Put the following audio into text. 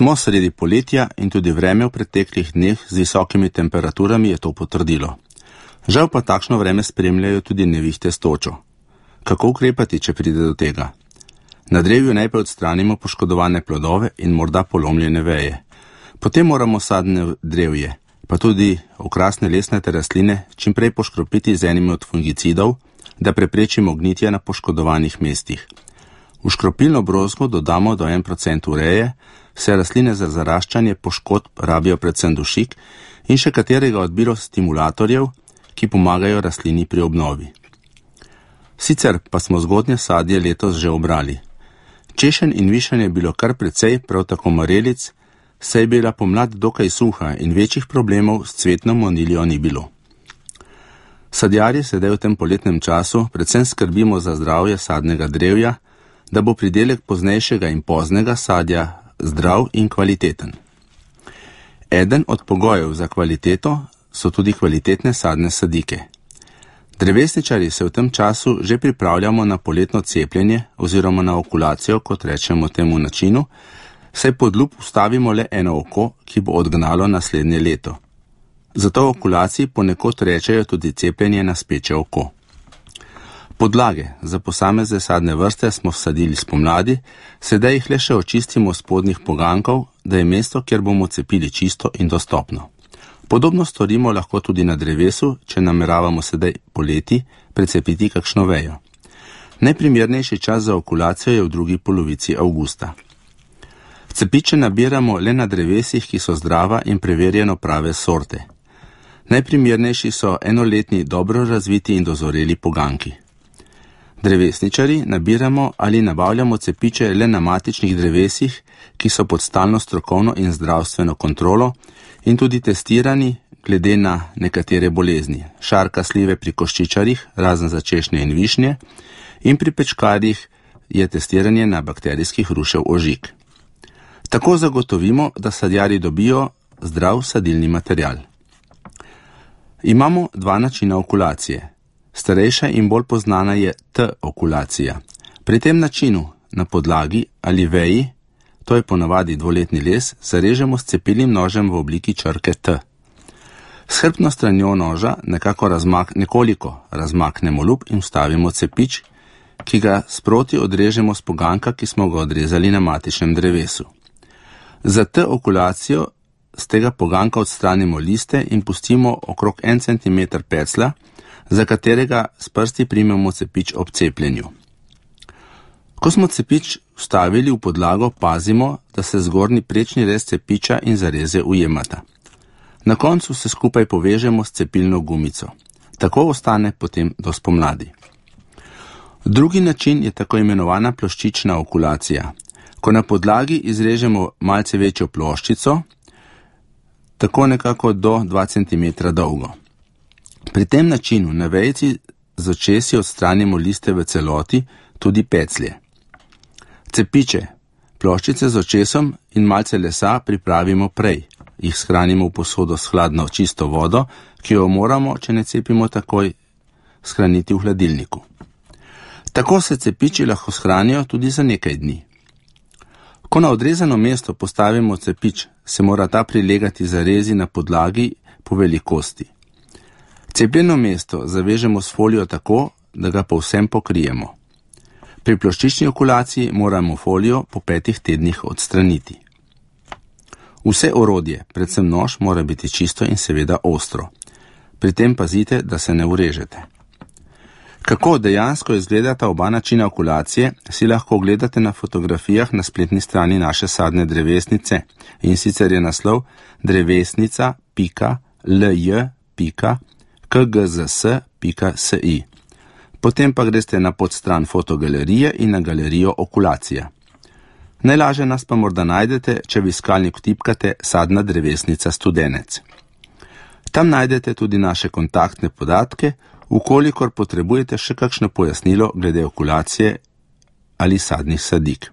Smo sredi poletja in tudi vreme v preteklih dneh z visokimi temperaturami je to potrdilo. Žal pa takšno vreme spremljajo tudi nevihte s točo. Kako ukrepati, če pride do tega? Na drevju najprej odstranimo poškodovane plodove in morda polomljene veje. Potem moramo sadne drevje, pa tudi okrasne lesnate rastline, čim prej poškropiti z enim od fungicidov, da preprečimo gnitje na poškodovanih mestih. V škropilno brozgo dodamo do 1% ureje, vse rastline za zaraščanje poškodb rabijo predvsem dušik in še katerega od biostimulatorjev, ki pomagajo rastlini pri obnovi. Sicer pa smo zgodnje sadje letos že obrali. Češenj in višenj je bilo kar precej, prav tako marelic, saj je bila pomlad dokaj suha in večjih problemov s cvetno moniljo ni bilo. Sadjarji sedaj v tem poletnem času predvsem skrbimo za zdravje sadnega drevja, da bo pridelek poznejšega in poznega sadja zdrav in kvaliteten. Eden od pogojev za kvaliteto so tudi kvalitetne sadne sadike. Drevesničari se v tem času že pripravljamo na poletno cepljenje oziroma na okulacijo, kot rečemo temu načinu, saj pod lup vstavimo le eno oko, ki bo odgnalo naslednje leto. Zato v okulaciji ponekod rečejo tudi cepljenje na speče oko. Podlage za posamezne sadne vrste smo vsadili spomladi, sedaj jih le še očistimo spodnjih pogankov, da je mesto, kjer bomo cepili, čisto in dostopno. Podobno storimo lahko tudi na drevesu, če nameravamo sedaj poleti precepiti kakšno vejo. Najprimernejši čas za okulacijo je v drugi polovici avgusta. Cepiče nabiramo le na drevesih, ki so zdrava in preverjeno prave sorte. Najprimernejši so enoletni dobro razviti in dozoreli poganki. Drevesničari nabiramo ali nabavljamo cepiče le na matičnih drevesih, ki so pod stalno strokovno in zdravstveno kontrolo in tudi testirani glede na nekatere bolezni, šarka slive pri koščičarjih, razen za češnje in višnje, in pri pečkarjih je testiranje na bakterijski hrušev ožig. Tako zagotovimo, da sadjarji dobijo zdrav sadilni material. Imamo dva načina okulacije. Starejša in bolj poznana je T-okulacija. Pri tem načinu na podlagi ali veji, to je ponavadi dvoletni les, zarežemo s cepilnim nožem v obliki črke T. S hrbtno stranjo noža nekoliko razmaknemo lup in vstavimo cepič, ki ga sproti odrežemo z poganka, ki smo ga odrezali na matičnem drevesu. Za T-okulacijo z tega poganka odstranimo liste in pustimo okrog 1 cm pecla, za katerega s prsti primemo cepič ob cepljenju. Ko smo cepič vstavili v podlago, pazimo, da se zgornji prečni rez cepiča in zareze ujemata. Na koncu se skupaj povežemo s cepilno gumico. Tako ostane potem do spomladi. Drugi način je tako imenovana ploščična okulacija. Ko na podlagi izrežemo malce večjo ploščico, tako nekako do 2 cm dolgo. Pri tem načinu na vejici z očesi odstranimo liste v celoti, tudi peclje. Cepiče, ploščice z očesom in malce lesa pripravimo prej. Jih shranimo v posodo s hladno čisto vodo, ki jo moramo, če ne cepimo takoj, shraniti v hladilniku. Tako se cepiči lahko shranijo tudi za nekaj dni. Ko na odrezano mesto postavimo cepič, se mora ta prilegati zarezi na podlagi po velikosti. Cepljeno mesto zavežemo s folijo tako, da ga povsem pokrijemo. Pri ploščični okulaciji moramo folijo po 5 tednih odstraniti. Vse orodje, predvsem nož, mora biti čisto in seveda ostro. Pri tem pazite, da se ne urežete. Kako dejansko izgledata oba načina okulacije, si lahko ogledate na fotografijah na spletni strani naše sadne drevesnice, in sicer je naslov drevesnica.lj.kgzs.si. Potem pa greste na podstran fotogalerije in na galerijo okulacija. Najlažje nas pa morda najdete, če v iskalnik vtipkate sadna drevesnica Studenec. Tam najdete tudi naše kontaktne podatke, ukolikor potrebujete še kakšno pojasnilo glede okulacije ali sadnih sadik.